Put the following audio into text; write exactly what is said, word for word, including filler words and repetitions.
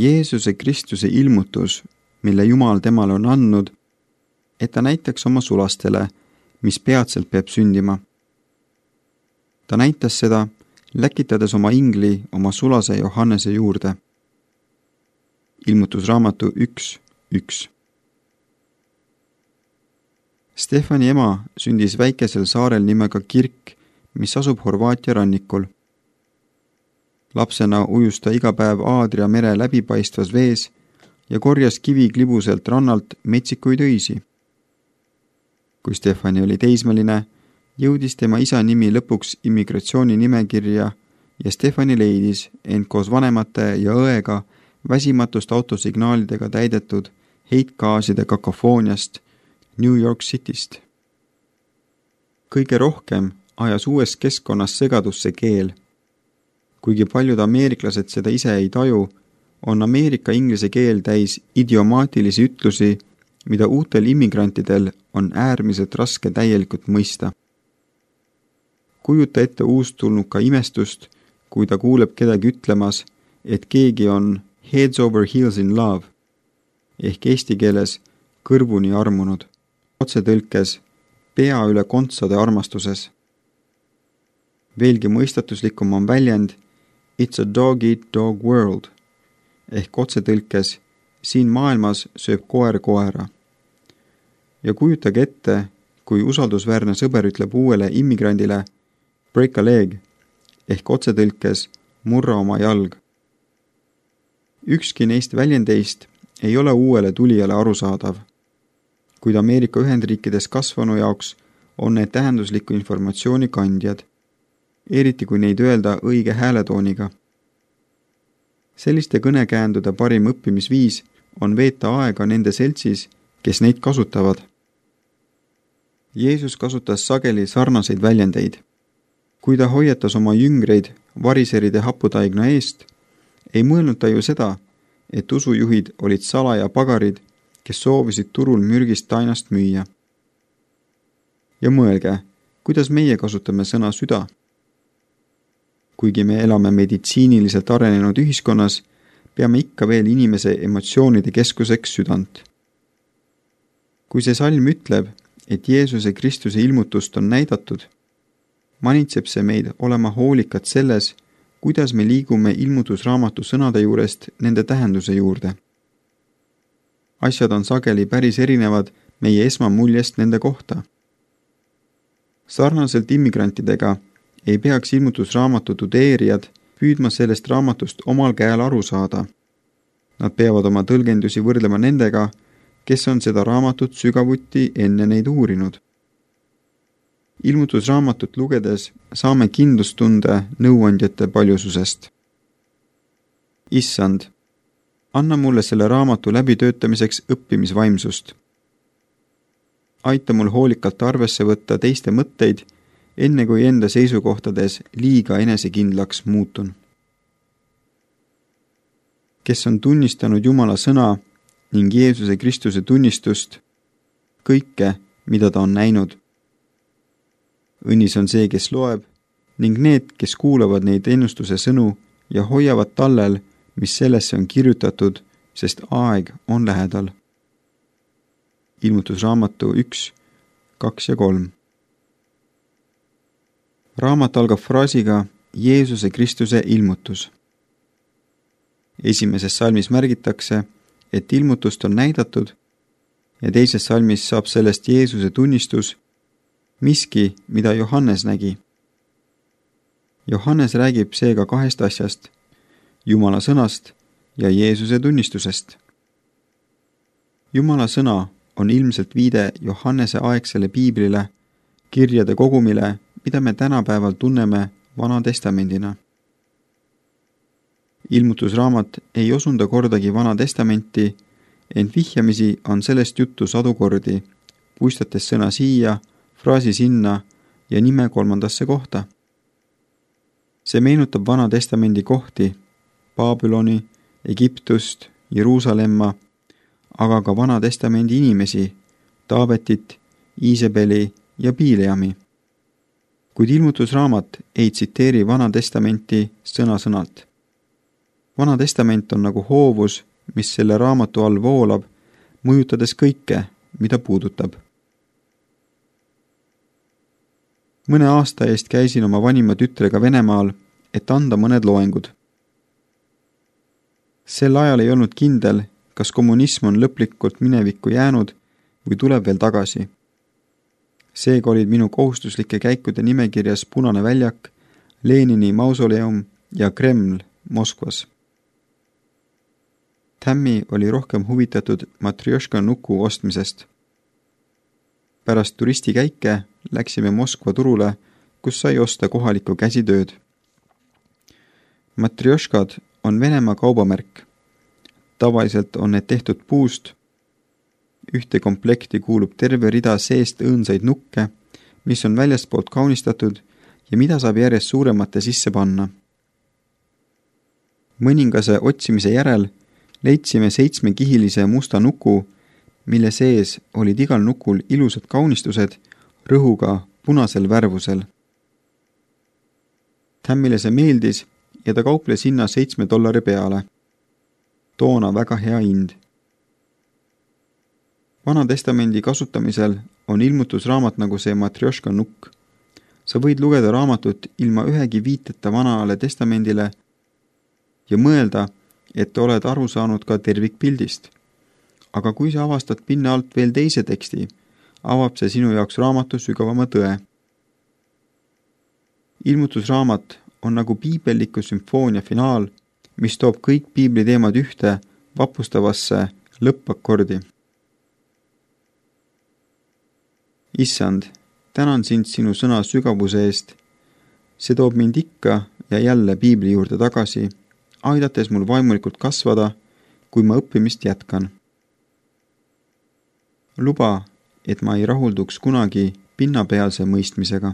Jeesuse Kristuse ilmutus, mille Jumal temale on andnud, et ta näitaks oma sulastele, mis peatselt peab sündima. Ta näitas seda, läkitades oma ingli oma sulase Johannese juurde. Ilmutusraamatu üks üks. Stefani ema sündis väikesel saarel nimega Kirk, mis asub Horvaatia rannikul. Lapsena ujus ta iga päev Aadria mere läbipaistvas vees ja korjas kiviklibuselt rannalt metsikuid öisi. Kui Stefani oli teismeline, jõudis tema isa nimi lõpuks immigratsiooni nimekirja ja Stefani leidis end koos vanemate ja õega väsimatust autosignaalidega täidetud heitgaaside kakofooniast New York Cityst. Kõige rohkem ajas uues keskkonnas segadusse keel. Kuigi paljud ameeriklased seda ise ei taju, on Ameerika inglise keel täis idiomaatilisi ütlusi, mida uutel immigrantidel on äärmiselt raske täielikult mõista. Kujuta ette uustulnuka imestust, kui ta kuuleb kedagi ütlemas, et keegi on heads over heels in love, ehk eesti keeles kõrvuni armunud, otsetõlkes pea üle kontsade armastuses. Veelgi mõistatuslikum on väljend It's a dog-eat-dog world, ehk otsetõlkes siin maailmas sööb koer koera. Ja kujutage ette, kui usaldusväärne sõber ütleb uuele immigrandile break a leg, ehk otsetõlkes murra oma jalg. Ükski neist väljendeist ei ole uuele tulijale arusaadav, kuid Ameerika Ühendriikides kasvanu jaoks on need tähendusliku informatsiooni kandjad, eriti kui neid öelda õige hääletooniga. Selliste kõnekäändude parim õppimisviis on veeta aega nende seltsis, kes neid kasutavad. Jeesus kasutas sageli sarnaseid väljendeid. Kui ta hoiatas oma jüngreid variseride haputaigna eest, ei mõelnud ta ju seda, et usujuhid olid salaja pagarid, kes soovisid turul mürgist tainast müüa. Ja mõelge, kuidas meie kasutame sõna süda. Kuigi me elame meditsiiniliselt arenenud ühiskonnas, peame ikka veel inimese emotsioonide keskuseks südant. Kui see salm ütleb, et Jeesuse Kristuse ilmutust on näidatud, manitseb see meid olema hoolikad selles, kuidas me liigume ilmutusraamatu sõnade juurest nende tähenduse juurde. Asjad on sageli päris erinevad meie esmamuljest nende kohta. Sarnaselt immigrantidega ei peaks ilmutusraamatu tudeerijad püüdma sellest raamatust omal käel aru saada. Nad peavad oma tõlgendusi võrdlema nendega, kes on seda raamatut sügavuti enne neid uurinud. Ilmutusraamatut lugedes saame kindlustunde nõuandjate paljususest. Issand, anna mulle selle raamatu läbitöötamiseks õppimisvaimsust. Aita mul hoolikalt arvesse võtta teiste mõtteid, enne kui enda seisukohtades liiga enesekindlaks muutun. Kes on tunnistanud Jumala sõna ning Jeesuse Kristuse tunnistust, kõike, mida ta on näinud. Õnnis on see, kes loeb, ning need, kes kuulavad neid ennustuse sõnu ja hoiavad tallel, mis sellesse on kirjutatud, sest aeg on lähedal. Ilmutusraamatu üks, kaks ja kolm. Raamat algab fraasiga Jeesuse Kristuse ilmutus. Esimeses salmis märgitakse, et ilmutust on näidatud ja teises salmis saab sellest Jeesuse tunnistus, miski, mida Johannes nägi. Johannes räägib seega kahest asjast, Jumala sõnast ja Jeesuse tunnistusest. Jumala sõna on ilmselt viide Johannese aegsele piiblile, kirjade kogumile, mida me tänapäeval tunneme Vana Testamendina. Ilmutusraamat ei osunda kordagi Vana Testamenti, ent vihjamisi on sellest juttu sadu kordi, puistates sõna siia, fraasi sinna ja nime kolmandasse kohta. See meenutab Vana Testamendi kohti, Babyloni, Egiptust, Jeruusalemma, aga ka Vana Testamendi inimesi, Taabetit, Iisebeli ja Biileami. Kuid ilmutusraamat ei tsiteeri Vana Testamenti sõna-sõnalt. Vana testament on nagu hoovus, mis selle raamatu all voolab, mõjutades kõike, mida puudutab. Mõne aasta eest käisin oma vanima tütrega Venemaal, et anda mõned loengud. Sel ajal ei olnud kindel, kas kommunism on lõplikult minevikku jäänud või tuleb veel tagasi. Seega olid minu kohustuslike käikude nimekirjas Punane väljak, Lenini mausoleum ja Kreml Moskvas. Tammy oli rohkem huvitatud Matrjoška nuku ostmisest. Pärast turistikäike läksime Moskva turule, kus sai osta kohalikku käsitööd. Matrjoškad on Venemaa kaubamärk. Tavaliselt on need tehtud puust. Ühte komplekti kuulub terve rida seest õõnsaid nukke, mis on väljastpoolt kaunistatud ja mida saab järjest suuremate sisse panna. Mõningase otsimise järel leidsime seitsmekihilise musta nuku, mille sees olid igal nukul ilusad kaunistused rõhuga punasel värvusel. Tammile see meeldis ja ta kauples hinna seitsme dollari peale. Toona väga hea hind. Vana testamendi kasutamisel on ilmutusraamat nagu see Matrjoška nukk. Sa võid lugeda raamatut ilma ühegi viiteta vanale testamendile ja mõelda, et oled aru saanud ka tervikpildist. Aga kui sa avastad pinna alt veel teise teksti, avab see sinu jaoks raamatu sügavama tõe. Ilmutusraamat on nagu piibelliku sümfoonia finaal, mis toob kõik piibli teemad ühte vapustavasse lõppakordi. Issand, tänan sind sinu sõna sügavuse eest. See toob mind ikka ja jälle piibli juurde tagasi, aidates mul vaimulikult kasvada, kui ma õppimist jätkan. Luba, et ma ei rahulduks kunagi pinnapealse mõistmisega.